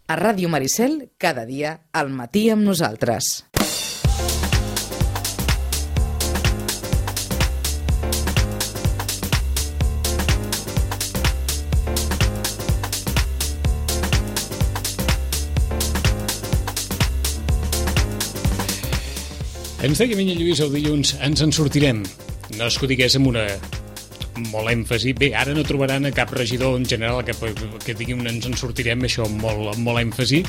A Ràdio Maricel, cada dia, al matí amb nosaltres. Ens deia Minya Lluís el dilluns, ens en sortirem. No és que ho digués amb una molt èmfasi. Bé, ara no trobaran a cap regidor en general que digui ens en sortirem, això amb molt èmfasi,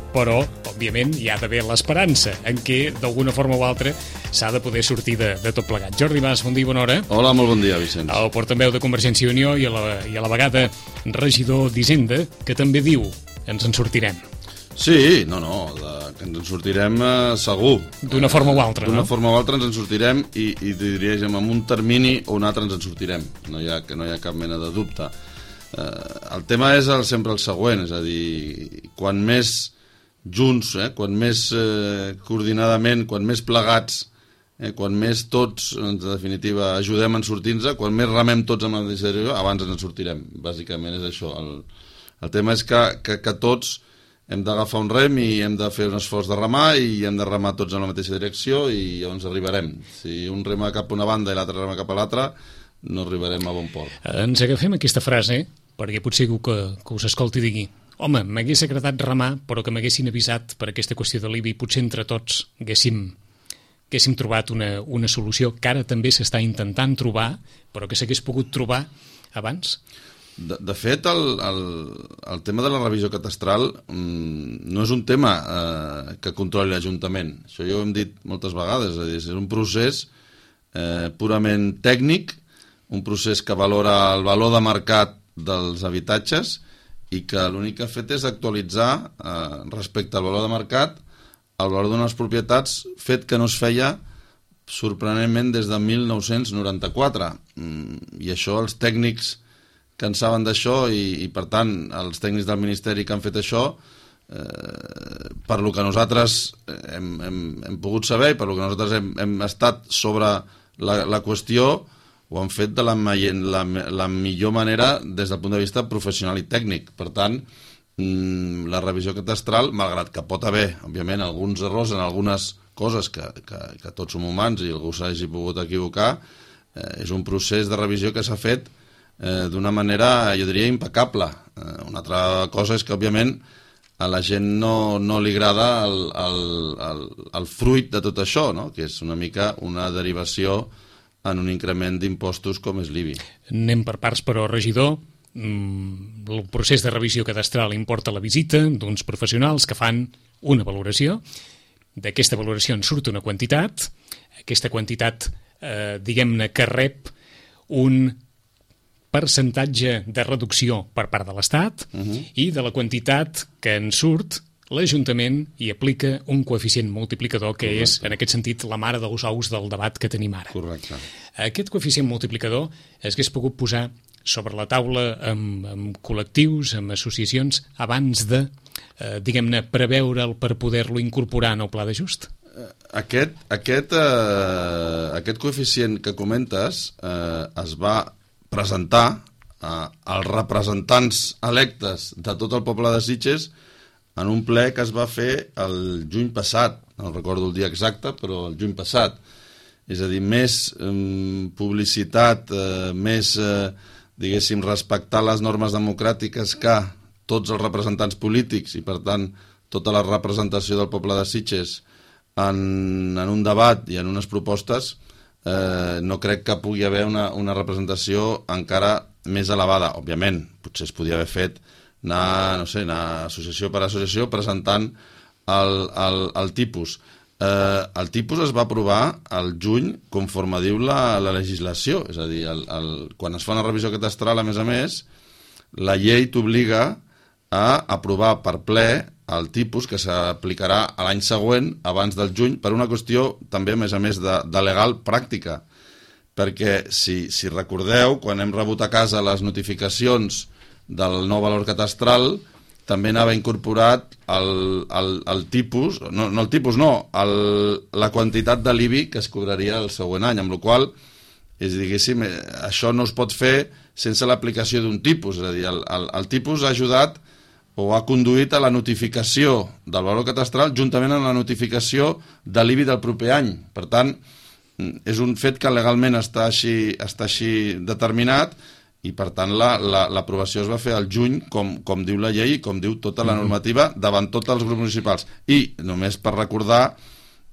però, òbviament, hi ha d'haver l'esperança en què, d'alguna forma o altra, s'ha de poder sortir de tot plegat. Jordi Mas, bon dia i bona hora. Hola, molt bon dia, Vicenç. El portaveu de Convergència i Unió i a la vegada regidor d'Hisenda, que també diu ens en sortirem. Sí, que ens en sortirem segur. D'una forma o altra, no? D'una forma o altra ens en sortirem i diríem, amb un termini o un altre ens en sortirem. No hi ha cap mena de dubte. El tema és sempre el següent, és a dir, quan més junts, quan més coordinadament, quan més plegats, quan més tots, en definitiva, ajudem en sortir-nos, quan més remem tots amb la mateixa direcció, abans ens en sortirem. Bàsicament és això. El tema és que tots hem d'agafar un rem i hem de fer un esforç de remar i hem de remar tots en la mateixa direcció i llavors arribarem. Si un rema cap a una banda i l'altre rema cap a l'altra, no arribarem a bon port. Ens agafem aquesta frase, perquè potser que us escolti digui home, m'hagués agradat remar, però que m'haguessin avisat per aquesta qüestió de l'IBI, potser entre tots haguéssim trobat una solució que ara també s'està intentant trobar, però que s'hagués pogut trobar abans. De fet, el tema de la revisió catastral no és un tema que controli l'Ajuntament. Això ja ho hem dit moltes vegades. És un procés purament tècnic, un procés que valora el valor de mercat dels habitatges i que l'únic que ha fet és actualitzar respecte al valor de mercat el valor d'unes propietats, fet que no es feia sorprenentment des de 1994. I això els tècnics que en saben d'això i per tant els tècnics del Ministeri que han fet això per lo que nosaltres hem pogut saber i per lo que nosaltres hem estat sobre la qüestió ho han fet de la millor manera des del punt de vista professional i tècnic. Per tant, la revisió catastral, malgrat que pot haver, òbviament, alguns errors en algunes coses que tots som humans i algú s'hagi pogut equivocar, és un procés de revisió que s'ha fet d'una manera, jo diria, impecable. Una altra cosa és que, òbviament, a la gent no li agrada el fruit de tot això, no? Que és una mica una derivació en un increment d'impostos com és l'IBI. Anem per parts, però, regidor, el procés de revisió cadastral importa la visita d'uns professionals que fan una valoració. D'aquesta valoració en surt una quantitat. Aquesta quantitat, diguem-ne, que rep un percentatge de reducció per part de l'Estat i de la quantitat que en surt l'Ajuntament hi aplica un coeficient multiplicador que és, en aquest sentit, la mare dels ous del debat que tenim ara. Correcte. Aquest coeficient multiplicador es hagués pogut posar sobre la taula amb col·lectius, amb associacions, abans de, diguem-ne, preveure'l per poder-lo incorporar en el pla d'ajust? Aquest coeficient que comentes es va presentar als representants electes de tot el poble de Sitges en un ple que es va fer el juny passat, no recordo el dia exacte, però el juny passat. És a dir, més publicitat, més, diguéssim, respectar les normes democràtiques que tots els representants polítics i, per tant, tota la representació del poble de Sitges en un debat i en unes propostes, no crec que pugui haver una representació encara més elevada. Òbviament, potser es podia haver fet anar associació per associació presentant el tipus. El tipus es va aprovar al juny conforme diu la legislació, és a dir, quan es fa una revisió catastral, a més, la llei t'obliga a aprovar per ple el tipus que s'aplicarà a l'any següent, abans del juny, per una qüestió també, a més, de legal pràctica. Perquè, si recordeu, quan hem rebut a casa les notificacions del nou valor catastral, també anava incorporat el tipus, no el tipus, no, la quantitat de l'IBI que es cobraria el següent any, amb la qual diguéssim, això no es pot fer sense l'aplicació d'un tipus, és a dir, el tipus ha ajudat o ha conduït a la notificació del valor catastral juntament amb la notificació de l'IBI del proper any. Per tant, és un fet que legalment està així determinat i, per tant, l'aprovació es va fer al juny, com diu la llei i com diu tota la normativa, davant tots els grups municipals. I, només per recordar,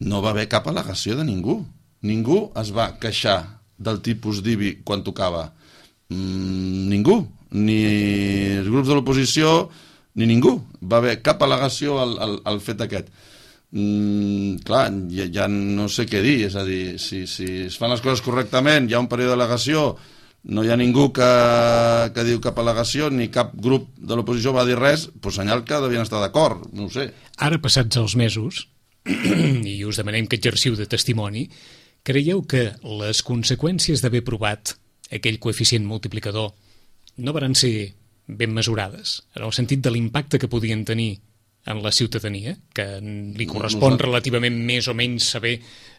no va haver cap al·legació de ningú. Ningú es va queixar del tipus d'IBI quan tocava. Ningú. Ni els grups de l'oposició ni ningú. Va haver cap al·legació al fet aquest. Clar, ja no sé què dir, és a dir, si es fan les coses correctament, hi ha un període d'al·legació, no hi ha ningú que diu cap al·legació, ni cap grup de l'oposició va dir res, doncs senyal que devien estar d'acord, no ho sé. Ara, passats els mesos, i us demanem que exerciu de testimoni, creieu que les conseqüències d'haver provat aquell coeficient multiplicador no van ser ben mesurades, en el sentit de l'impacte que podien tenir en la ciutadania, que li correspon relativament més o menys saber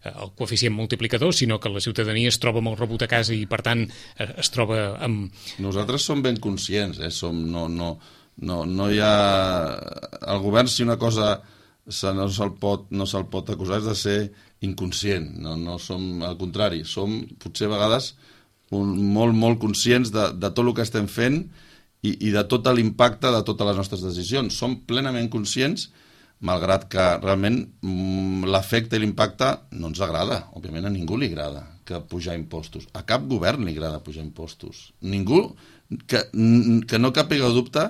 el coeficient multiplicador, sinó que la ciutadania es troba amb el rebut a casa i, per tant, es troba amb... Nosaltres som ben conscients, no hi ha... El govern, si una cosa no se'l pot acusar, és de ser inconscient. No som, al contrari, som potser a vegades molt conscients de tot el que estem fent i de tot l'impacte de totes les nostres decisions. Som plenament conscients, malgrat que realment l'efecte i l'impacte no ens agrada. Òbviament a ningú li agrada que pujar impostos. A cap govern li agrada pujar impostos. Ningú, que no càpiga dubte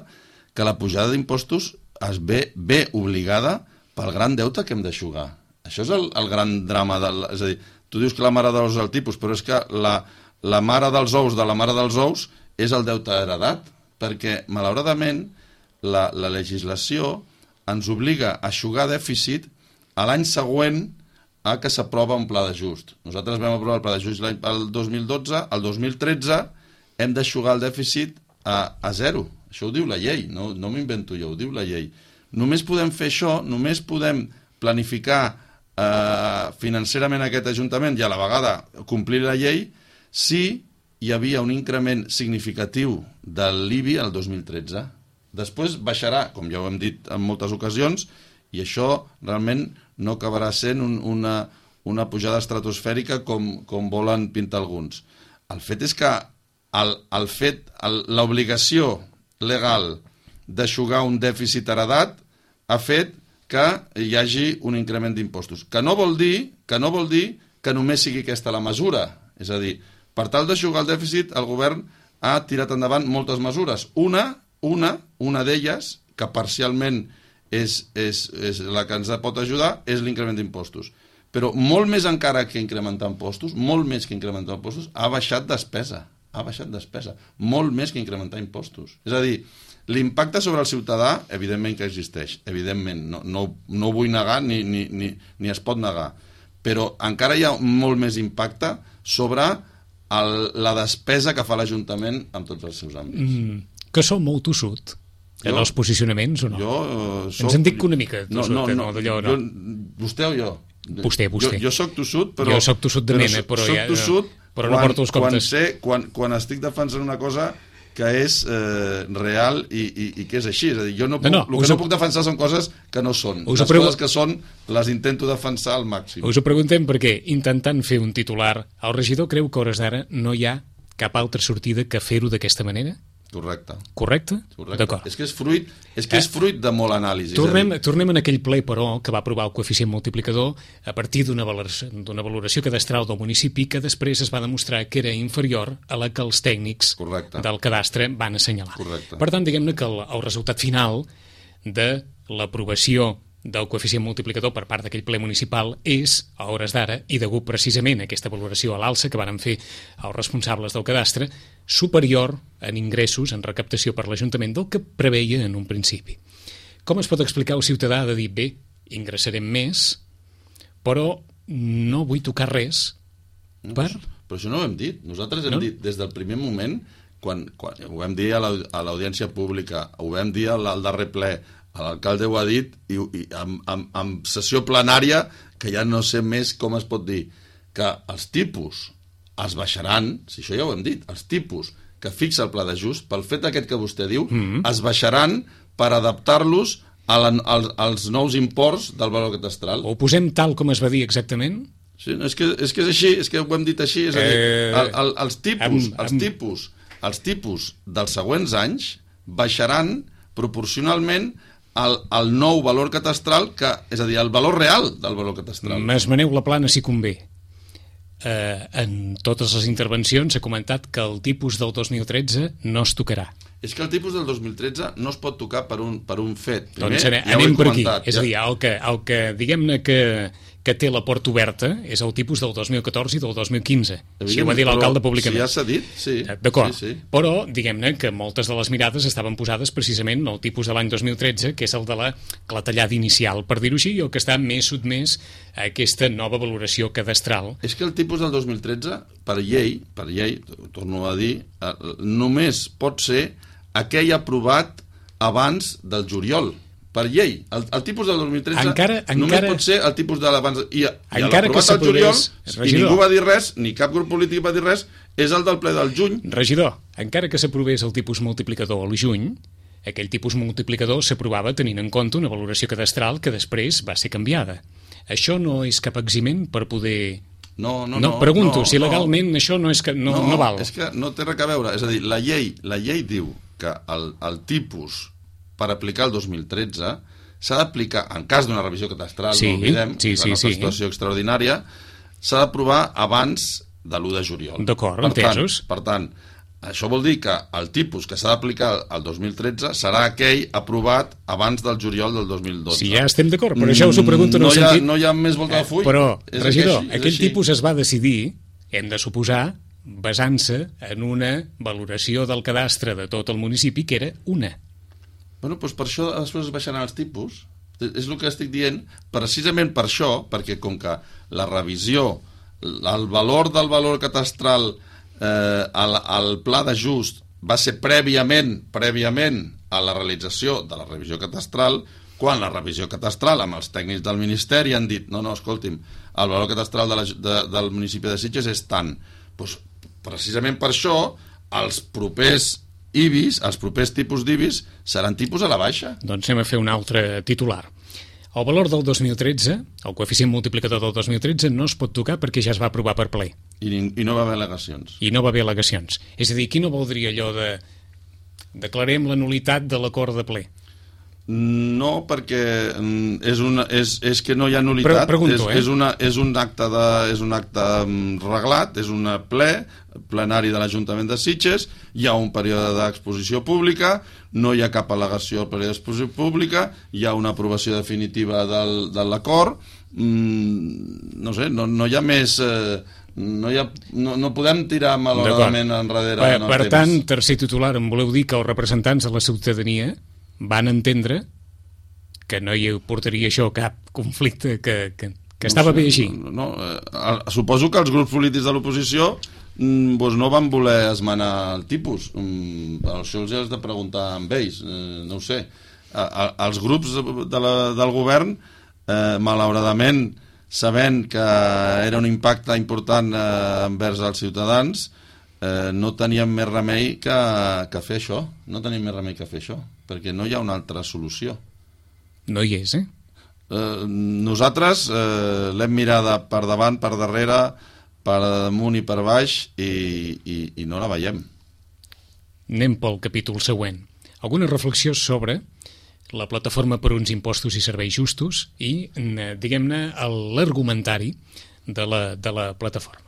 que la pujada d'impostos es ve obligada pel gran deute que hem d'eixugar. Això és el gran drama. És a dir, tu dius que la mare dels ous és el tipus, però és que la mare dels ous de la mare dels ous és el deute heredat, perquè, malauradament, la legislació ens obliga a eixugar dèficit a l'any següent a que s'aprova un pla d'ajust. Nosaltres vam aprovar el pla d'ajust el 2012, el 2013 hem d'eixugar el dèficit a zero. Això ho diu la llei, no m'invento jo, ho diu la llei. Només podem fer això, només podem planificar financerament aquest Ajuntament i a la vegada complir la llei si hi havia un increment significatiu de l'IBI el 2013. Després baixarà, com ja ho hem dit en moltes ocasions, i això realment no acabarà sent una pujada estratosfèrica com volen pintar alguns. El fet és que l'obligació legal d'eixugar un dèficit heredat ha fet que hi hagi un increment d'impostos. Que no vol dir que només sigui aquesta la mesura. És a dir, per tal d'eixugar el dèficit, el govern ha tirat endavant moltes mesures. Una d'elles, que parcialment és la que ens pot ajudar, és l'increment d'impostos. Però molt més encara que incrementar impostos, ha baixat despesa. Molt més que incrementar impostos. És a dir, l'impacte sobre el ciutadà, evidentment que existeix. Evidentment, no ho vull negar ni es pot negar. Però encara hi ha molt més impacte sobre la despesa que fa l'Ajuntament en tots els seus àmbits. Que som molt tossut en els posicionaments o no? Ens en dic una mica tossut, no. Vostè o jo? Vostè. Jo soc tossut, però... Jo soc tossut de mena, però no porto els comptes. Quan estic defensant una cosa que és real i que és així. És a dir, el que no puc defensar són coses que no són. Les coses que són les intento defensar al màxim. Us ho preguntem perquè, intentant fer un titular, el regidor creu que a hores d'ara no hi ha cap altra sortida que fer-ho d'aquesta manera? Correcte? D'acord. És que és fruit de molt anàlisi. Tornem en aquell ple, però, que va aprovar el coeficient multiplicador a partir d'una valoració cadastral del municipi que després es va demostrar que era inferior a la que els tècnics del cadastre van assenyalar. Per tant, diguem-ne que el resultat final de l'aprovació del coeficient multiplicador per part d'aquell ple municipal és, a hores d'ara, i degut precisament a aquesta valoració a l'alça que van fer els responsables del cadastre, superior en ingressos, en recaptació per l'Ajuntament del que preveia en un principi. Com es pot explicar al ciutadà de dir, bé, ingressarem més, però no vull tocar res per... Però això no ho hem dit. Nosaltres hem dit des del primer moment, quan ho vam dir a l'audiència pública, ho vam dir al darrer ple, l'alcalde ho ha dit i en sessió plenària, que ja no sé més com es pot dir, que els tipus es baixaran, si això ja ho hem dit, els tipus que fixa el pla d'ajust, pel fet aquest que vostè diu, es baixaran per adaptar-los als nous imports del valor catastral. Ho posem tal com es va dir exactament? Sí, és que és així, és que ho hem dit així, és a dir, els tipus dels següents anys baixaran proporcionalment al nou valor catastral, és a dir, el valor real del valor catastral. M'esmeneu la plana si convé. En totes les intervencions s'ha comentat que el tipus del 2013 no es tocarà. És que el tipus del 2013 no es pot tocar per un fet. Primer, doncs anem per aquí. És a dir, el que diguem-ne que té la porta oberta és el tipus del 2014 i del 2015. Així ho va dir l'alcalde públicament. Si ja s'ha dit, sí. D'acord. Sí. Però, diguem-ne que moltes de les mirades estaven posades precisament en el tipus de l'any 2013, que és el de la clatellada inicial, per dir-ho així, i el que està més sotmès a aquesta nova valoració cadastral. És que el tipus del 2013, per llei, torno a dir, només pot ser aquell aprovat abans del juliol. Per llei. El tipus del 2013 només pot ser el tipus de l'abans... I l'aprovat al juliol, i ningú va dir res, ni cap grup polític va dir res, és el del ple del juny. Regidor, encara que s'aprovés el tipus multiplicador al juny, aquell tipus multiplicador s'aprovava tenint en compte una valoració cadastral que després va ser canviada. Això no és cap eximent per poder... No, pregunto, si legalment això no val. És que no té res a veure. És a dir, la llei diu que el tipus per aplicar el 2013 s'ha d'aplicar, en cas d'una revisió catastral, no oblidem, és una situació extraordinària, s'ha d'aprovar abans de l'1 de juliol. D'acord, entesos. Per tant, això vol dir que el tipus que s'ha d'aplicar el 2013 serà aquell aprovat abans del juliol del 2012. Sí, ja estem d'acord, però això us ho pregunto en el sentit... No hi ha més volta de full. Però, regidor, aquell tipus es va decidir, hem de suposar, basant-se en una valoració del cadastre de tot el municipi, que era una. Bueno, doncs per això després es baixaran els tipus. És el que estic dient, precisament per això, perquè com que la revisió, el valor del valor catastral al pla d'ajust va ser prèviament a la realització de la revisió catastral, quan la revisió catastral amb els tècnics del Ministeri han dit no, escolti'm, el valor catastral del municipi de Sitges és tant. Doncs, precisament per això els propers IBIs, els propers tipus d'IBIs seran tipus a la baixa. Doncs anem a fer un altre titular. El valor del 2013, el coeficient multiplicador del 2013, no es pot tocar perquè ja es va aprovar per ple. I no va haver al·legacions. I no va haver al·legacions. És a dir, qui no voldria allò de declarem la nulitat de l'acord de ple? No, perquè és que no hi ha nulitat. Pregunto, és un acte reglat, és un plenari de l'Ajuntament de Sitges, hi ha un període d'exposició pública, no hi ha cap al·legació al període d'exposició pública, hi ha una aprovació definitiva de l'acord, no sé, no hi ha més... No podem tirar malauradament enrere. Per tant, tercer titular, em voleu dir que els representants de la ciutadania van entendre que no hi portaria això cap conflicte, que estava bé així. Suposo que els grups polítics de l'oposició no van voler esmenar el tipus. Això els has de preguntar amb ells, no ho sé. Els grups del govern, malauradament, sabent que era un impacte important envers els ciutadans, no teníem més remei que fer això. No tenim més remei que fer això, perquè no hi ha una altra solució. No hi és, Nosaltres l'hem mirada per davant, per darrere, per damunt i per baix, i no la veiem. Anem pel capítol següent. Alguna reflexió sobre la plataforma per uns impostos i serveis justos i, diguem-ne, l'argumentari de la plataforma.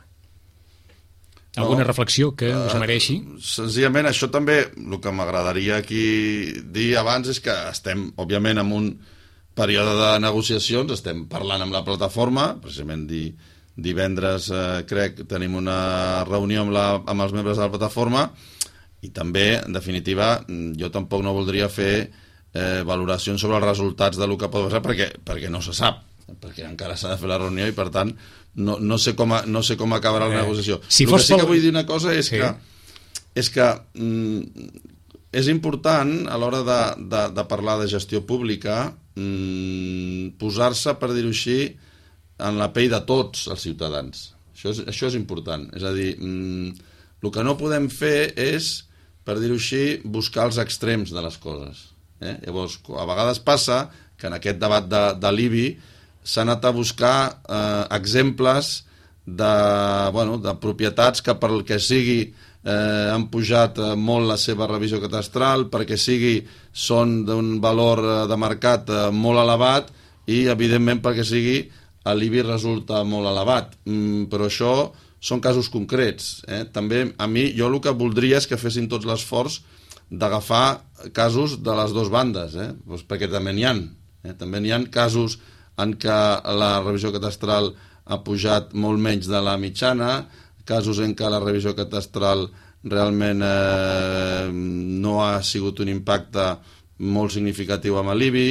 Alguna reflexió que us mereixi? Senzillament, això també, el que m'agradaria aquí dir abans és que estem, òbviament, en un període de negociacions, estem parlant amb la plataforma, precisament divendres, crec, tenim una reunió amb els membres de la plataforma, i també, en definitiva, jo tampoc no voldria fer valoracions sobre els resultats del que pot passar, perquè no se sap, perquè encara s'ha de fer la reunió i, per tant, no sé com acabarà la negociació. El que sí que vull dir una cosa és que és important a l'hora de parlar de gestió pública posar-se, per dir-ho així, en la pell de tots els ciutadans. Això és important. És a dir, el que no podem fer és, per dir-ho així, buscar els extrems de les coses. Llavors, a vegades passa que en aquest debat de l'IBI s'ha anat a buscar exemples de propietats que pel que sigui han pujat molt la seva revisió catastral, perquè són d'un valor de mercat molt elevat i, evidentment, perquè sigui l'IBI resulta molt elevat. Però això són casos concrets. També, a mi, jo el que voldria és que fessin tots l'esforç d'agafar casos de les dues bandes, perquè també n'hi ha. També n'hi ha casos en què la revisió catastral ha pujat molt menys de la mitjana, casos en què la revisió catastral realment no ha sigut un impacte molt significatiu amb l'IBI,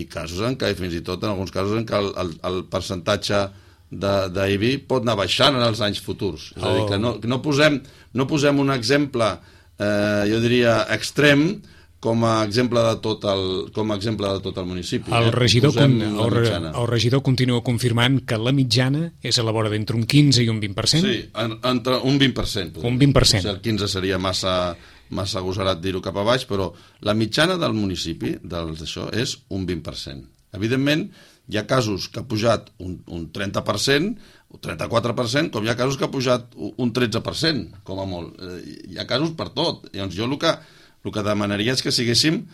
i casos en què, fins i tot en alguns casos en què el percentatge d'IBI pot anar baixant en els anys futurs. És a dir, que no posem un exemple, jo diria, extrem, com a exemple de tot el municipi. El regidor continua confirmant que la mitjana és a la vora d'entre un 15 i un 20%? Sí, entre un 20%. Un 20%. Potser el 15 seria massa agosarat dir-ho cap a baix, però la mitjana del municipi d'això és un 20%. Evidentment, hi ha casos que ha pujat un 30%, un 34%, com hi ha casos que ha pujat un 13%, com a molt. Hi ha casos per tot. Llavors, jo el que demanaria és que siguéssim,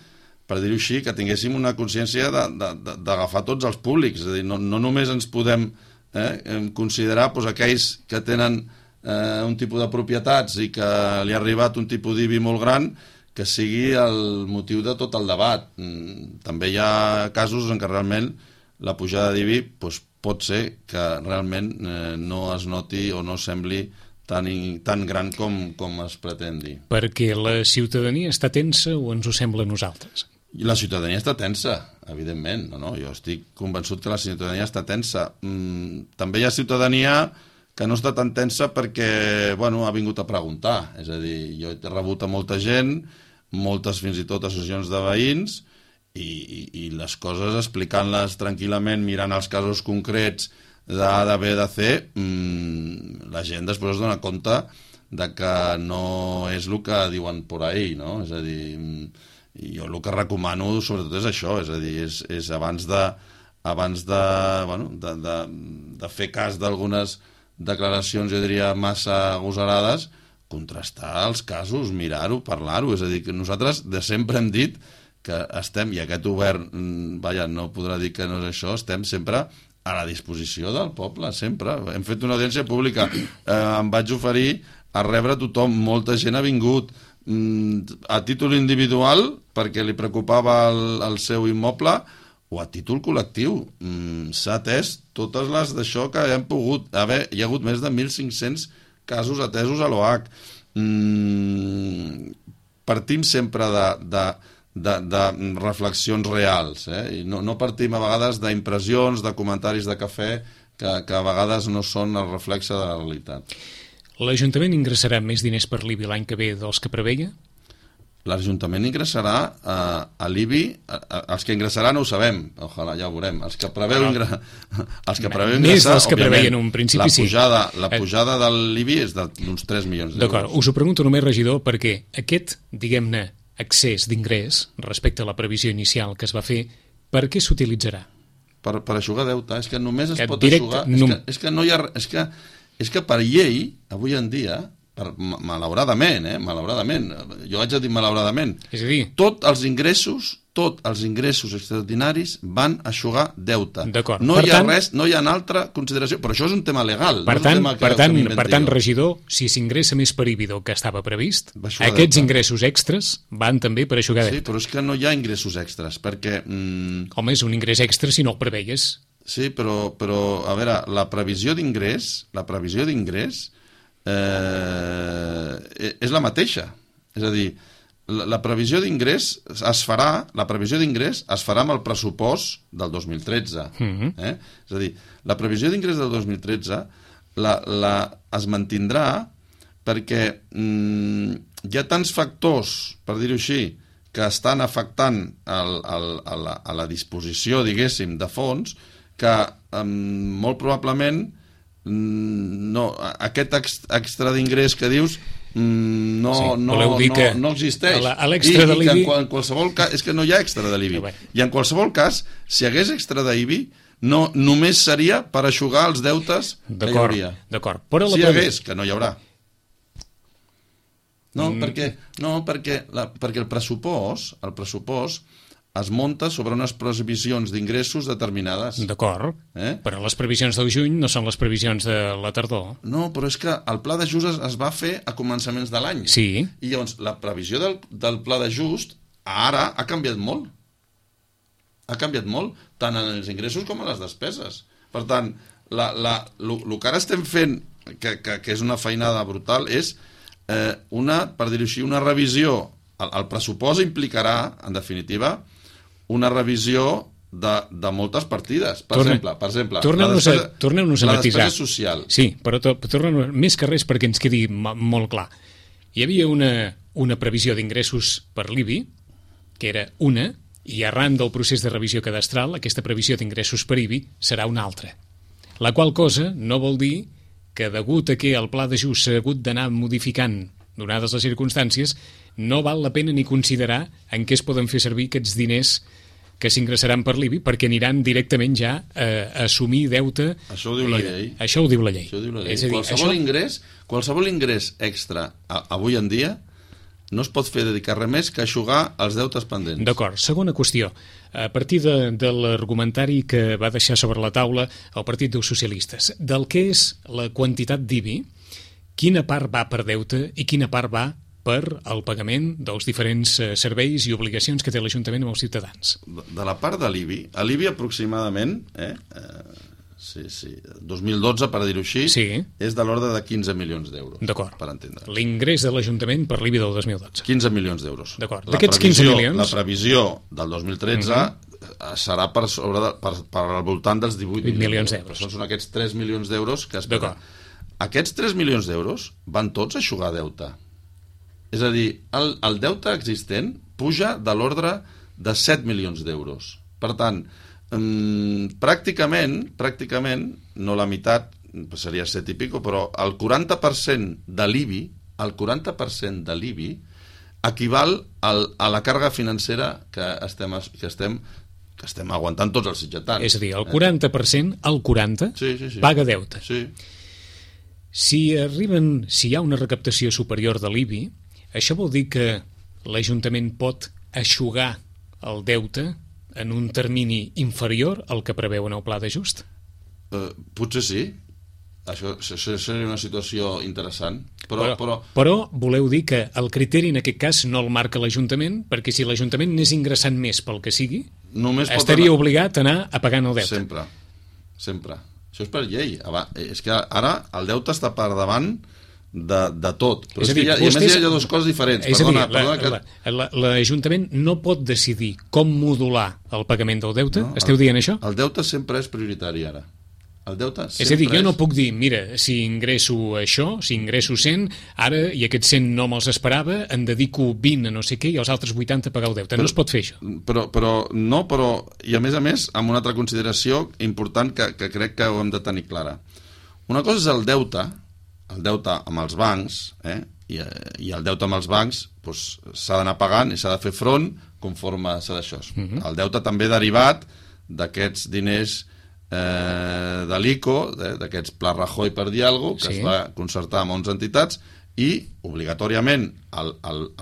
per dir-ho així, que tinguéssim una consciència d'agafar tots els públics. És a dir, no només ens podem considerar aquells que tenen un tipus de propietats i que li ha arribat un tipus d'IBI molt gran, que sigui el motiu de tot el debat. També hi ha casos en què realment la pujada d'IBI pot ser que realment no es noti o no sembli tan gran com es pretén dir. Perquè la ciutadania està tensa o ens ho sembla a nosaltres? La ciutadania està tensa, evidentment. Jo estic convençut que la ciutadania està tensa. També hi ha ciutadania que no està tan tensa perquè ha vingut a preguntar. És a dir, jo he rebut a molta gent, moltes fins i tot associacions de veïns, i les coses explicant-les tranquil·lament, mirant els casos concrets d'A, de B, de C, la gent després es dona compte de que no és el que diuen por ahí, no? És a dir, jo el que recomano sobretot és això, és a dir, és abans de fer cas d'algunes declaracions, jo diria, massa agosarades, contrastar els casos, mirar-ho, parlar-ho. És a dir, que nosaltres de sempre hem dit que estem, i aquest govern no podrà dir que no és això, estem sempre a la disposició del poble, sempre. Hem fet una audiència pública, em vaig oferir a rebre tothom, molta gent ha vingut a títol individual perquè li preocupava el seu immoble, o a títol col·lectiu. S'ha atès totes les d'això que hem pogut haver. Hi ha hagut més de 1.500 casos atesos a l'OH. Partim sempre de reflexions reals, i no partim a vegades d'impressions, de comentaris de cafè que a vegades no són el reflexe de la realitat. L'Ajuntament ingressarà més diners per l'IBI l'any que ve dels que preveia? L'Ajuntament ingressarà a l'IBI, els que ingressaran no ho sabem, ojalà, ja ho veurem, els que preveu ingressar, més dels que preveien en un principi, la pujada de l'IBI és d'uns 3 milions d'euros. D'acord, us ho pregunto només, regidor, perquè aquest, diguem-ne, excés d'ingrés respecte a la previsió inicial que es va fer, per què s'utilitzarà? Per eixugar deute. És que només es pot eixugar. És que no hi ha... És que per llei, avui en dia, malauradament, jo haig de dir malauradament, és a dir, tots els ingressos extraordinaris van eixugar deute. No hi ha altra consideració, però això és un tema legal. Per tant, regidor, si s'ingressa més per IBI del que estava previst, aquests ingressos extres van també per eixugar deute. Sí, però és que no hi ha ingressos extres, perquè... Home, és un ingrés extra si no el preveies. Sí, però a veure, la previsió d'ingrés és la mateixa. És a dir, la previsió d'ingrés es farà amb el pressupost del 2013. És a dir, la previsió d'ingrés del 2013 es mantindrà perquè hi ha tants factors, per dir-ho així, que estan afectant a la disposició, diguéssim, de fons, que molt probablement aquest extra d'ingrés que dius no existeix. A l'extra de l'IBI... En qualsevol cas, és que no hi ha extra de l'IBI. I en qualsevol cas, si hi hagués extra d'IBI, no, només seria per eixugar els deutes que hi hauria. D'acord. Si hi hagués, que no hi haurà. No, perquè el pressupost es munta sobre unes previsions d'ingressos determinades. D'acord, però les previsions del juny no són les previsions de la tardor. No, però és que el pla d'ajust es va fer a començaments de l'any. Sí. I llavors la previsió del pla d'ajust ara ha canviat molt. Ha canviat molt, tant en els ingressos com en les despeses. Per tant, el que ara estem fent, que és una feinada brutal, és per dir-ho així, una revisió. El pressupost implicarà, en definitiva, una revisió de moltes partides. Per exemple, torneu-nos a matisar. La despesa social. Sí, però torneu més que res perquè ens quedi molt clar. Hi havia una previsió d'ingressos per l'IBI, que era una, i arran del procés de revisió cadastral, aquesta previsió d'ingressos per IBI serà una altra. La qual cosa no vol dir que, degut a que el pla d'ajust s'ha hagut d'anar modificant donades les circumstàncies, no val la pena ni considerar en què es poden fer servir aquests diners que s'ingressaran per l'IBI, perquè aniran directament ja a assumir deute. Això ho diu la llei. Això ho diu la llei. És a dir, qualsevol ingrés extra avui en dia no es pot fer dedicar res més que eixugar els deutes pendents. D'acord. Segona qüestió. A partir de l'argumentari que va deixar sobre la taula el Partit dels Socialistes, del que és la quantitat d'IBI, quina part va per deute i quina part va per al pagament dels diferents serveis i obligacions que té l'Ajuntament amb els ciutadans. De la part de l'IBI, a l'IBI aproximadament, 2012, per dir-ho així, és de l'ordre de 15 milions d'euros. D'acord. Per entendre. L'ingrés de l'Ajuntament per l'IBI del 2012. 15 milions d'euros. D'acord. D'aquests 15 milions... La previsió del 2013 serà per al voltant dels 18 milions d'euros. Són aquests 3 milions d'euros que esperen. Aquests 3 milions d'euros van tots a eixugar deute. És a dir, el deute existent puja de l'ordre de 7 milions d'euros. Per tant, pràcticament, no la meitat, seria 7 i pico, però el 40% de l'IBI, equival a la càrrega financera que estem aguantant tots els sitgetans. És a dir, el 40%, paga deute. Sí. Si hi ha una recaptació superior de l'IBI, això vol dir que l'Ajuntament pot eixugar el deute en un termini inferior al que preveu en el pla d'ajust? Potser sí. Això seria una situació interessant. Però voleu dir que el criteri en aquest cas no el marca l'Ajuntament, perquè si l'Ajuntament n'és ingressant més pel que sigui, estaria obligat a anar a pagant el deute. Sempre. Això és per llei. És que ara el deute està per davant de tot. Però és a dir, a més hi ha dues coses diferents. L'Ajuntament no pot decidir com modular el pagament del deute? Esteu dient això? El deute sempre és prioritari ara. És a dir, jo no puc dir, mira, si ingresso això, si ingresso 100, ara, i aquests 100 no me'ls esperava, en dedico 20 a no sé què i els altres 80 a pagar el deute. No es pot fer això. I a més, amb una altra consideració important que crec que ho hem de tenir clara. Una cosa és el deute amb els bancs, i el deute amb els bancs s'ha d'anar pagant i s'ha de fer front conforme s'ha d'això. El deute també derivat d'aquests diners de l'ICO, d'aquests Pla Rajoy, per dir alguna cosa, que es va concertar amb 11 entitats, i obligatòriament a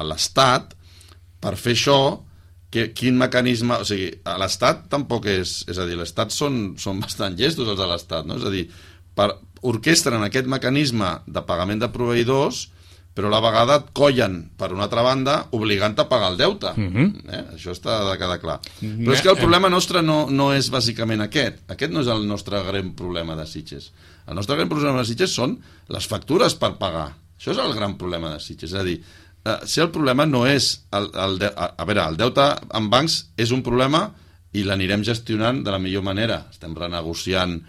l'Estat, per fer això, quin mecanisme... O sigui, a l'Estat tampoc és a dir, l'Estat són bastant llestos els de l'Estat, no? És a dir, orquestren aquest mecanisme de pagament de proveïdors, però a la vegada et collen, per una altra banda, obligant a pagar el deute. Això està de quedar clar. Però és que el problema nostre no és bàsicament aquest. Aquest no és el nostre gran problema de Sitges. El nostre gran problema de Sitges són les factures per pagar. Això és el gran problema de Sitges. És a dir, si el problema no és... el deute en bancs és un problema i l'anirem gestionant de la millor manera. Estem renegociant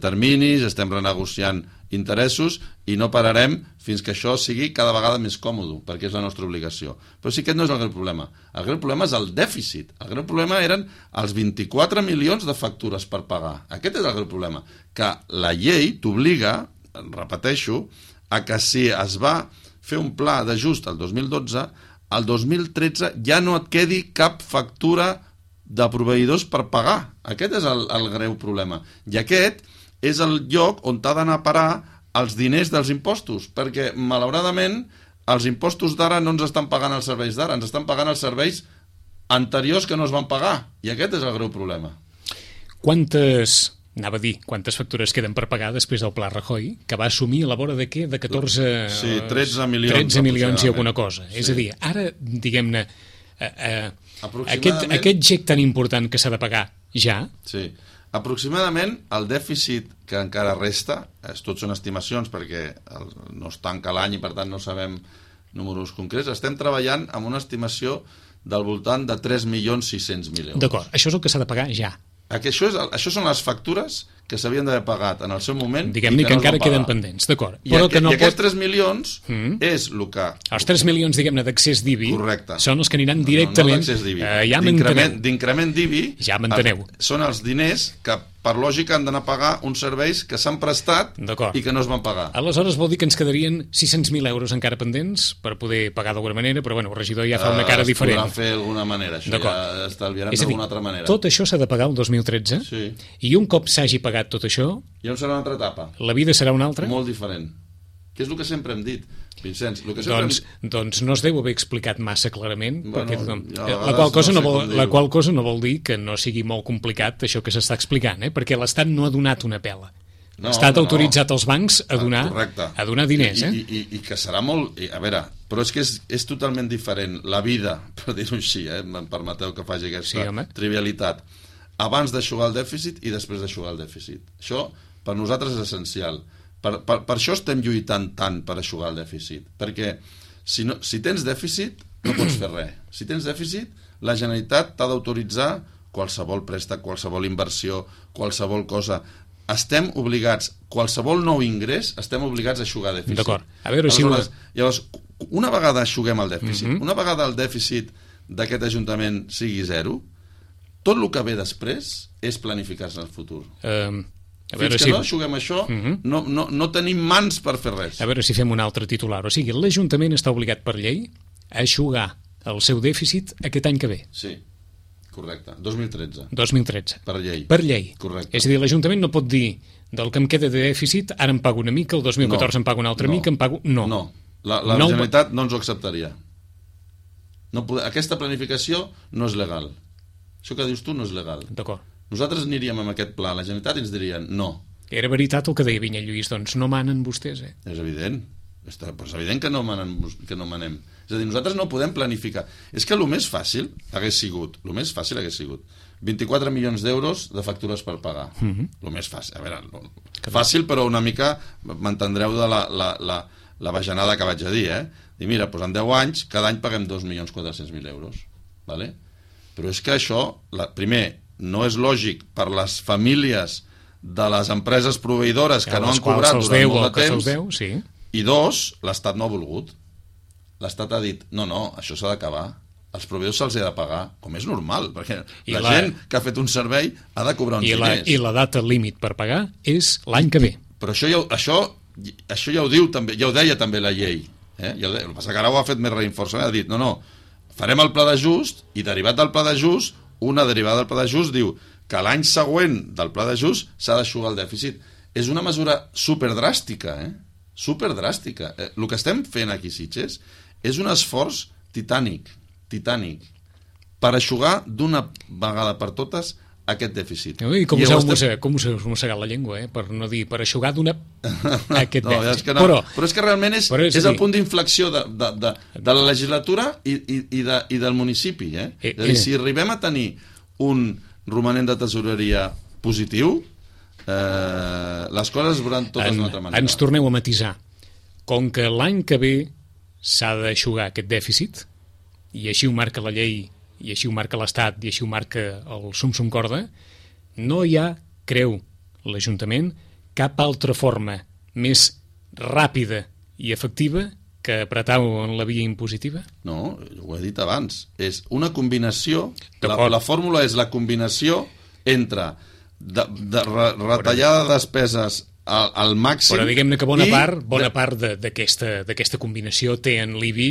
terminis, estem renegociant interessos i no pararem fins que això sigui cada vegada més còmode, perquè és la nostra obligació. Però sí que no és el gran problema. El gran problema és el dèficit. El gran problema eren els 24 milions de factures per pagar. Aquest és el gran problema. Que la llei t'obliga, repeteixo, a que si es va fer un pla d'ajust al 2012, al 2013 ja no et quedi cap factura de proveïdors per pagar. Aquest és el greu problema. I aquest és el lloc on t'ha d'anar a parar els diners dels impostos, perquè, malauradament, els impostos d'ara no ens estan pagant els serveis d'ara, ens estan pagant els serveis anteriors que no es van pagar, i aquest és el greu problema. Quantes factures queden per pagar després del Pla Rajoy, que va assumir a la vora de què? De 14... Sí, 13 milions. 13 milions i alguna cosa. Sí. És a dir, ara, diguem-ne, aquest gec tan important que s'ha de pagar ja... Sí. Aproximadament el dèficit que encara resta, tot són estimacions perquè no es tanca l'any i per tant no sabem números concrets, estem treballant amb una estimació del voltant de 3.600.000 euros. D'acord, això és el que s'ha de pagar ja. Això són les factures que s'havien d'haver pagat en el seu moment. Diguem-ne que encara queden pendents, d'acord. I aquests 3 milions és el que... Els 3 milions, diguem-ne, d'accés d'IBI són els que aniran No directament... d'accés d'IBI. Ja m'enteneu. D'increment d'IBI ja m'enteneu. Són els diners que, per lògica, han d'anar a pagar uns serveis que s'han prestat i que no es van pagar. Aleshores vol dir que ens quedarien 600.000 euros encara pendents per poder pagar d'alguna manera, però bueno, el regidor ja fa una cara diferent. Es podrà fer d'alguna manera, això ja estalviarem d'alguna altra manera. Tot això s'ha de pagar el 2013 i un cop s'hagi pagat tot això... Ja serà una altra etapa. La vida serà una altra? Molt diferent. Que és el que sempre hem dit, Vicenç. Doncs no es deu haver explicat massa clarament, perquè la qual cosa no vol dir que no sigui molt complicat això que s'està explicant, perquè l'Estat no ha donat una pela. L'Estat ha autoritzat els bancs a donar diners. I que serà molt... A veure, però és que és totalment diferent la vida, per dir-ho així, em permeteu que faci aquesta trivialitat, abans d'aixugar el dèficit i després d'aixugar el dèficit. Això per nosaltres és essencial. Per això estem lluitant tant per aixugar el dèficit, perquè si tens dèficit no pots fer res. Si tens dèficit, la Generalitat t'ha d'autoritzar qualsevol préstec, qualsevol inversió, qualsevol cosa. Estem obligats, qualsevol nou ingrés, estem obligats a aixugar dèficit. D'acord. A veure si... Llavors, una vegada aixuguem el dèficit, una vegada el dèficit d'aquest Ajuntament sigui zero, tot el que ve després és planificar-se en el futur. Fins que no aixuguem això, no tenim mans per fer res. A veure si fem un altre titular. O sigui, l'Ajuntament està obligat per llei a aixugar el seu dèficit aquest any que ve. Sí, correcte. 2013. Per llei. Per llei. Correcte. És a dir, l'Ajuntament no pot dir del que em queda de dèficit, ara em pago una mica, el 2014 em pago una altra mica, em pago... No. La Generalitat no ens ho acceptaria. Aquesta planificació no és legal. Això que dius tu no és legal. D'acord. Nosaltres aniríem amb aquest pla, la Generalitat ens dirien no. Era veritat el que deia Vinyet Lluís, doncs no manen vostès, És evident. És evident que no manem. És a dir, nosaltres no podem planificar. És que el més fàcil hagués sigut 24 milions d'euros de factures per pagar. El més fàcil. A veure, fàcil, però una mica m'entendreu de la bajanada que vaig a dir, Dir, mira, doncs en 10 anys, cada any paguem 2.400.000 euros. Vale? Però és que això, primer, no és lògic per les famílies de les empreses proveïdores que no han cobrat durant molt de temps, i dos, l'Estat no ha volgut. L'Estat ha dit, no, això s'ha d'acabar, els proveïdors se'ls ha de pagar, com és normal, perquè la gent que ha fet un servei ha de cobrar uns diners. I la data límit per pagar és l'any que ve. Però això ja ho diu també, ja ho deia també la llei. El que passa que ara ho ha fet més reinforçament, ha dit, no, farem el pla d'ajust, i derivat del pla d'ajust, una derivada del pla d'ajust diu que l'any següent del pla d'ajust s'ha d'aixugar el dèficit. És una mesura superdràstica, superdràstica. El que estem fent aquí, Sitges, és un esforç titànic, per aixugar d'una vegada per totes aquest dèficit. I com us heu mossegat la llengua, per no dir per aixugar aquest dèficit. Però és que realment és el punt d'inflexió de la legislatura i del municipi. És a dir, si arribem a tenir un romanent de tesoreria positiu, les coses es veuran totes d'una altra manera. Ens torneu a matisar. Com que l'any que ve s'ha d'aixugar aquest dèficit, i així ho marca la llei, i així ho marca l'Estat, i així ho marca el sum corda, no hi ha, creu l'Ajuntament, cap altra forma més ràpida i efectiva que apretar en la via impositiva? No, ho he dit abans. És una combinació, la fórmula és la combinació entre retallada de despeses al màxim. Però diguem-ne que bona part d'aquesta combinació té en l'IBI,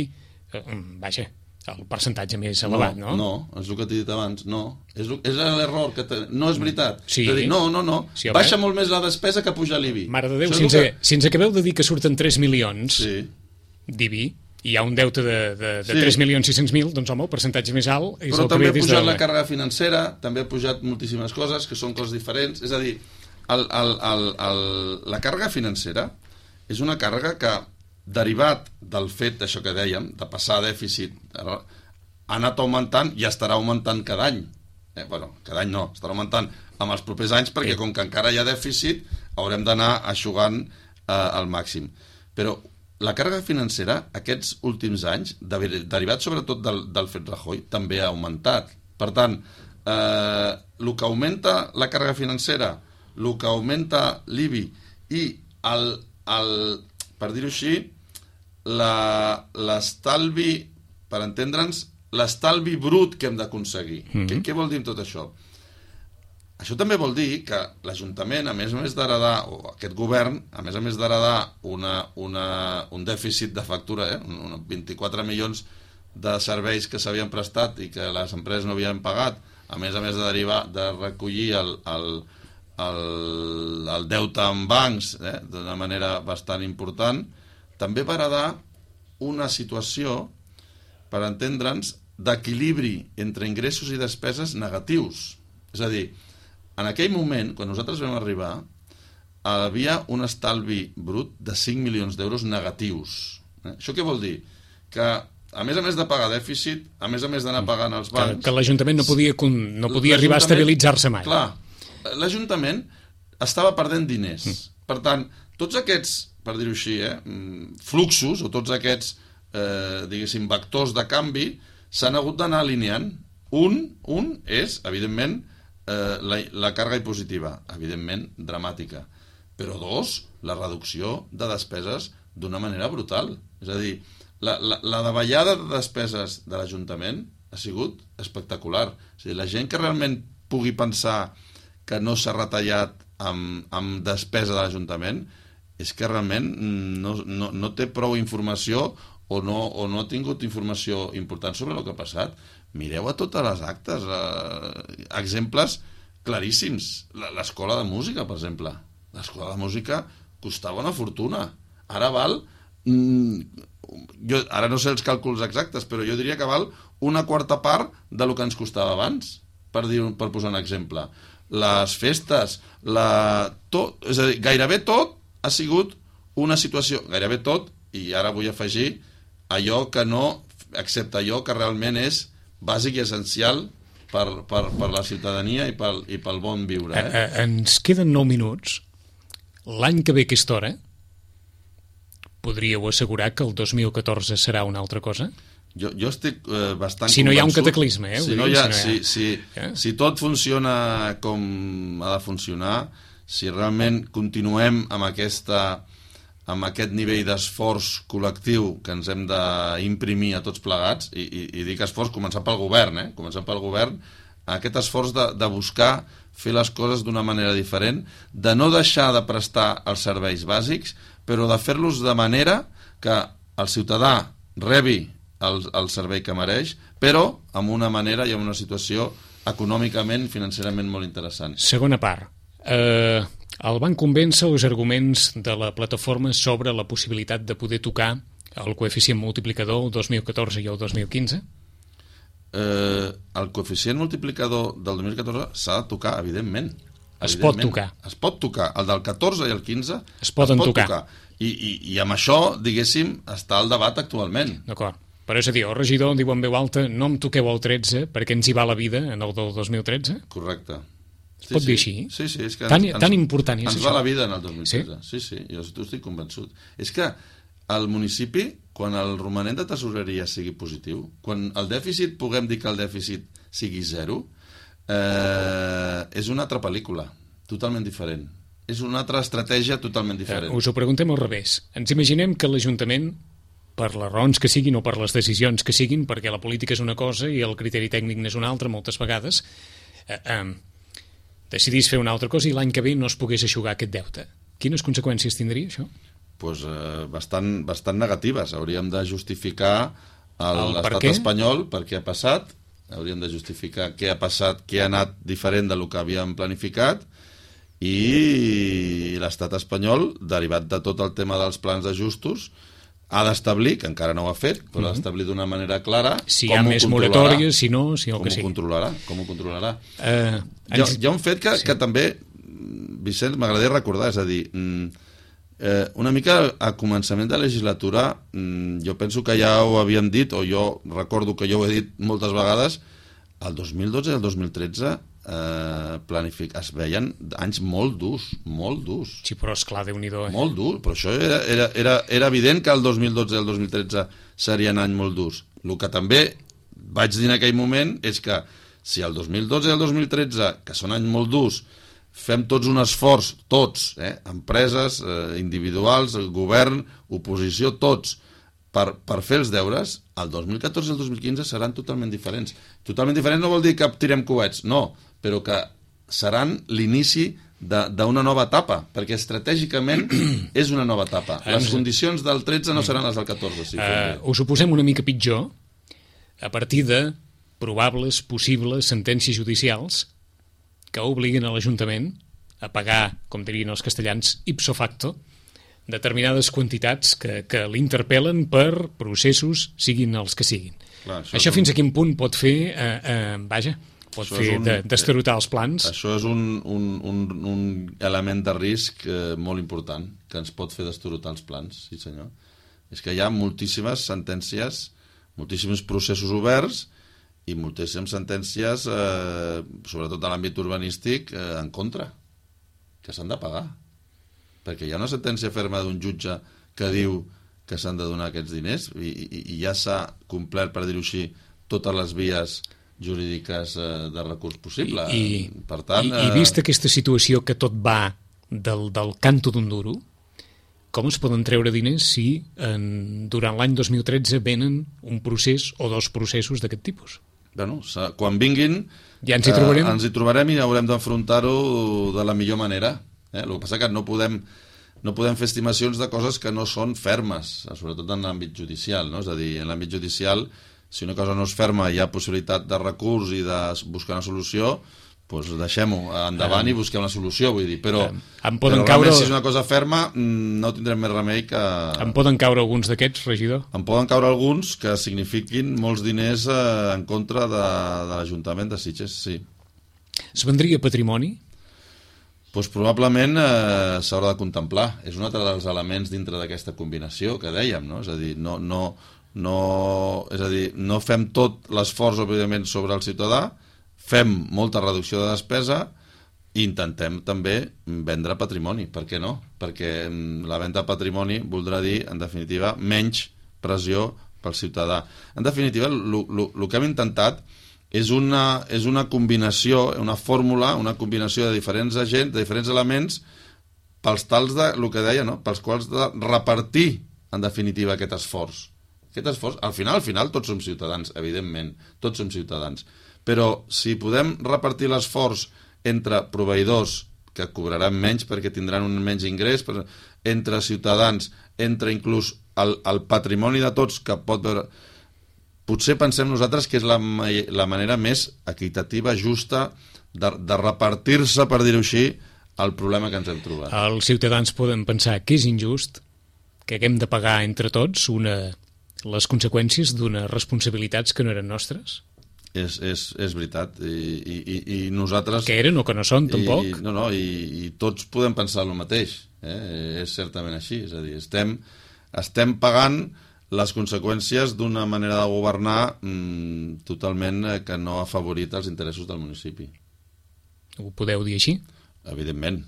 vaja, el percentatge més elevat, no? No, és el que t'he dit abans, no. És l'error, no és veritat. Sí. És a dir, no. Sí, baixa molt més la despesa que puja l'IBI. Mare de Déu, si ens acabeu de dir que surten 3 milions d'IBI, i hi ha un deute de 3.600.000, doncs home, el percentatge més alt és però el que també ve ha pujat la càrrega financera, també ha pujat moltíssimes coses, que són coses diferents. És a dir, la càrrega financera és una càrrega que, derivat del fet d'això que dèiem, de passar a dèficit, ha anat augmentant i estarà augmentant cada any. Cada any no, estarà augmentant amb els propers anys, perquè com que encara hi ha dèficit, haurem d'anar eixugant al màxim. Però la càrrega financera, aquests últims anys, derivat sobretot del fet Rajoy, també ha augmentat. Per tant, el que augmenta la càrrega financera, el que augmenta l'IBI i per dir-ho així, l'estalvi, per entendre'ns, l'estalvi brut que hem d'aconseguir. Què vol dir tot això? Això també vol dir que l'Ajuntament, a més d'heredar, o aquest govern, a més d'heredar un dèficit de factura, 24 milions de serveis que s'havien prestat i que les empreses no havien pagat, a més de recollir el deute en bancs d'una manera bastant important, també va heredar una situació, per entendre'ns, d'equilibri entre ingressos i despeses negatius. És a dir, en aquell moment, quan nosaltres vam arribar, havia un estalvi brut de 5 milions d'euros negatius. Això què vol dir? Que, a més de pagar dèficit, a més d'anar pagant els bancs... Que l'Ajuntament no podia arribar a estabilitzar-se mai. Clar, l'Ajuntament estava perdent diners. Per tant, tots aquests, per dir-ho així, fluxos, o tots aquests, diguéssim, vectors de canvi, s'han hagut d'anar alineant. Un és, evidentment, la càrrega impositiva, evidentment, dramàtica. Però dos, la reducció de despeses d'una manera brutal. És a dir, la davallada de despeses de l'Ajuntament ha sigut espectacular. És a dir, la gent que realment pugui pensar que no s'ha retallat amb despesa de l'Ajuntament és que realment no té prou informació o no ha tingut informació important sobre el que ha passat. Mireu a totes les actes, exemples claríssims. L'escola de música, per exemple. L'escola de música costava una fortuna. Ara val... ara no sé els càlculs exactes, però jo diria que val una quarta part del que ens costava abans, per posar un exemple. Les festes, és a dir, gairebé tot ha sigut una situació, gairebé tot, i ara vull afegir allò que no, excepte allò que realment és bàsic i essencial per la ciutadania i pel bon viure. Ens queden 9 minuts. L'any que ve a aquesta hora podríeu assegurar que el 2014 serà una altra cosa? Jo estic bastant convençut. Si no hi ha un cataclisme, Si tot funciona com ha de funcionar, si realment continuem amb aquest nivell d'esforç col·lectiu que ens hem d'imprimir a tots plegats, i dic esforç començant pel govern, aquest esforç de buscar fer les coses d'una manera diferent, de no deixar de prestar els serveis bàsics, però de fer-los de manera que el ciutadà rebi el servei que mereix, però amb una manera i amb una situació econòmicament, financerament molt interessant. Segona part. El van convèncer els arguments de la plataforma sobre la possibilitat de poder tocar el coeficient multiplicador el 2014 i el 2015? El coeficient multiplicador del 2014 s'ha de tocar, evidentment. Es pot tocar. Es pot tocar. El del 14 i el 15 es poden tocar. I amb això, diguéssim, està el debat actualment. D'acord. Però és a dir, el regidor diu en veu alta, no em toqueu el 13 perquè ens hi va la vida en el del 2013? Correcte. Es pot dir així? Sí, és que tan important és ens això. va la vida en el 2013. Sí, jo estic convençut. És que el municipi, quan el romanent de tesoreria sigui positiu, quan el dèficit, puguem dir que el dèficit sigui 0, és una altra pel·lícula, totalment diferent. És una altra estratègia totalment diferent. Us ho preguntem al revés. Ens imaginem que l'Ajuntament, per les raons que siguin o per les decisions que siguin, perquè la política és una cosa i el criteri tècnic n'és una altra moltes vegades, decidís fer una altra cosa i l'any que ve no es pogués eixugar aquest deute. Quines conseqüències tindria això? Pues, bastant negatives. Hauríem de justificar l'estat què? espanyol per què ha passat, hauríem de justificar què ha passat, què ha anat diferent del que havíem planificat, i l'estat espanyol, derivat de tot el tema dels plans d'ajustos, ha d'establir, que encara no ho ha fet, però ha d'establir d'una manera clara si hi ha més moratòries, si no, si el que sigui. Com ho controlarà. Hi ha un fet que també, Vicenç, m'agradaria recordar, és a dir, una mica a començament de legislatura, jo penso que ja ho havíem dit, o jo recordo que jo ho he dit moltes vegades, el 2012 i el 2013 es veien anys molt durs. Sí, però esclar, Déu-n'hi-do. Molt durs, però això era evident que el 2012 i el 2013 serien anys molt durs. El que també vaig dir en aquell moment és que si el 2012 i el 2013, que són anys molt durs, fem tots un esforç, tots, empreses, individuals, el govern, oposició, tots, per fer els deures, el 2014 i el 2015 seran totalment diferents. Totalment diferents no vol dir que tirem coets, no, però que seran l'inici d'una nova etapa, perquè estratègicament és una nova etapa. Les condicions del 13 no seran les del 14. Si us ho posem una mica pitjor, a partir de probables, possibles sentències judicials que obliguen a l'Ajuntament a pagar, com dirien els castellans, ipso facto, determinades quantitats que l'interpel·len per processos, siguin els que siguin. Clar, això fins a quin punt pot fer, pot fer d'estarotar els plans? Això és un element de risc molt important, que ens pot fer d'estarotar els plans, sí senyor. És que hi ha moltíssimes sentències, moltíssims processos oberts i moltíssimes sentències, sobretot a l'àmbit urbanístic, en contra, que s'han de pagar. Perquè hi ha una sentència ferma d'un jutge que diu que s'han de donar aquests diners i ja s'ha complert, per dir-ho així, totes les vies jurídiques de recurs possible. Per tant, I vista aquesta situació que tot va del canto d'un duro, com es poden treure diners si durant l'any 2013 venen un procés o dos processos d'aquest tipus? Bueno, quan vinguin ja ens hi trobarem i haurem d'afrontar-ho de la millor manera. El que passa que no podem fer estimacions de coses que no són fermes, sobretot en l'àmbit judicial, no? És a dir, en l'àmbit judicial, si una cosa no és ferma i hi ha possibilitat de recurs i de buscar una solució, doncs deixem-ho endavant i busquem una solució, vull dir, però realment si és una cosa ferma no tindrem més remei que... En poden caure alguns d'aquests, regidor? En poden caure alguns que signifiquin molts diners en contra de l'Ajuntament de Sitges, sí. Es vendria patrimoni? Doncs probablement s'haurà de contemplar. És un altre dels elements dintre d'aquesta combinació que dèiem, no? És a dir, no fem tot l'esforç, òbviament, sobre el ciutadà, fem molta reducció de despesa i intentem també vendre patrimoni. Per què no? Perquè la venda de patrimoni voldrà dir, en definitiva, menys pressió pel ciutadà. En definitiva, el que hem intentat és una combinació, una fórmula, una combinació de diferents agents, de diferents elements, pels tals de, el que deia, no? Pels quals de repartir, en definitiva, aquest esforç. Aquest esforç, al final tots som ciutadans, evidentment, tots som ciutadans. Però si podem repartir l'esforç entre proveïdors, que cobraran menys perquè tindran un menys ingrés, entre ciutadans, entre inclús el patrimoni de tots, que pot veure... Potser pensem nosaltres que és la manera més equitativa, justa, de repartir-se, per dir-ho així, el problema que ens hem trobat. Els ciutadans poden pensar que és injust, que haguem de pagar entre tots les conseqüències d'unes responsabilitats que no eren nostres? És veritat. I nosaltres... Que eren o que no són, tampoc? I tots podem pensar el mateix. És certament així. És a dir, estem pagant les conseqüències d'una manera de governar totalment que no ha afavorit els interessos del municipi. Ho podeu dir així? Evidentment.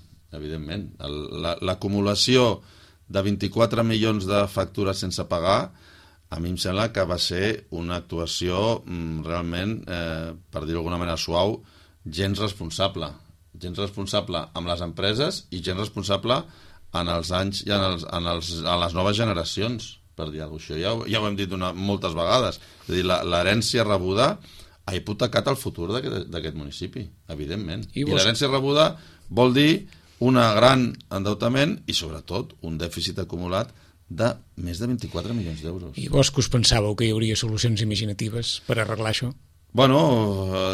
L'acumulació de 24 milions de factures sense pagar, a mi em sembla que va ser una actuació realment, per dir-ho d'alguna manera suau, gens responsable. Gens responsable amb les empreses i gens responsable en els anys i a les noves generacions, per dir alguna cosa. Això ja ho hem dit moltes vegades. És a dir, l'herència rebuda ha hipotecat el futur d'aquest municipi, evidentment. I l'herència rebuda vol dir un gran endeutament i, sobretot, un dèficit acumulat de més de 24 milions d'euros. I vos que us pensàveu que hi hauria solucions imaginatives per arreglar això? Bueno,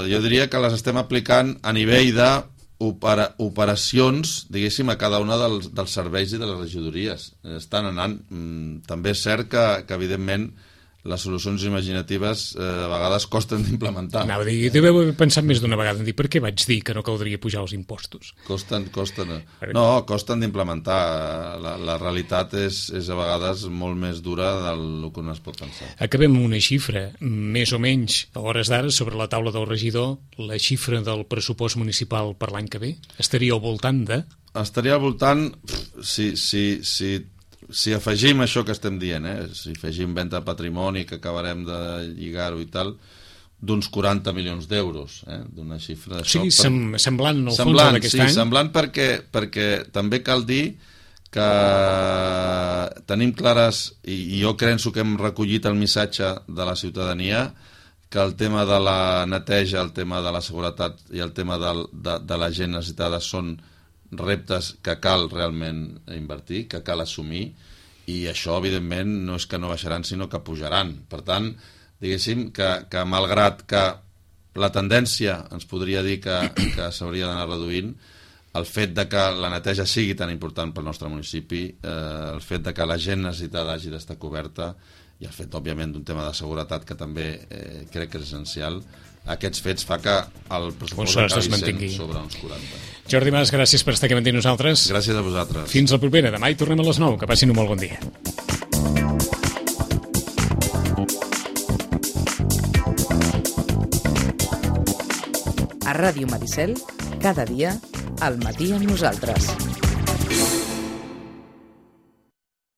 jo diria que les estem aplicant a nivell d'operacions, diguéssim, a cada una dels serveis i de les regidories. Estan anant. També és cert que evidentment, les solucions imaginatives a vegades costen d'implementar. Anava a dir, deveu haver pensat més d'una vegada en dir per què vaig dir que no caldria pujar els impostos. Costen. No, costen d'implementar. La realitat és a vegades molt més dura del que un es pot pensar. Acabem amb una xifra, més o menys, a hores d'ara, sobre la taula del regidor, la xifra del pressupost municipal per l'any que ve estaria al voltant de? Estaria al voltant, si afegim això que estem dient, si afegim venda de patrimoni, que acabarem de lligar-ho i tal, d'uns 40 milions d'euros, d'una xifra d'això. Sí, semblant en el fons d'aquest any. Sí, semblant perquè també cal dir que tenim clares, i jo penso que hem recollit el missatge de la ciutadania, que el tema de la neteja, el tema de la seguretat i el tema de la gent necessitada són reptes que cal realment invertir, que cal assumir, i això, evidentment, no és que no baixaran, sinó que pujaran. Per tant, diguéssim que malgrat que la tendència ens podria dir que s'hauria d'anar reduint, el fet de que la neteja sigui tan important pel nostre municipi, el fet de que la gent necessitada hagi d'estar coberta, i el fet, òbviament, d'un tema de seguretat que també crec que és essencial, aquests fets fa que el pressupost acabi sent sobre uns 40. Jordi Mas, gràcies per estar aquí amb nosaltres. Gràcies a vosaltres. Fins la propera. Demà hi tornem a les 9. Que passin un molt bon dia. A Ràdio Maricel, cada dia, al matí amb nosaltres.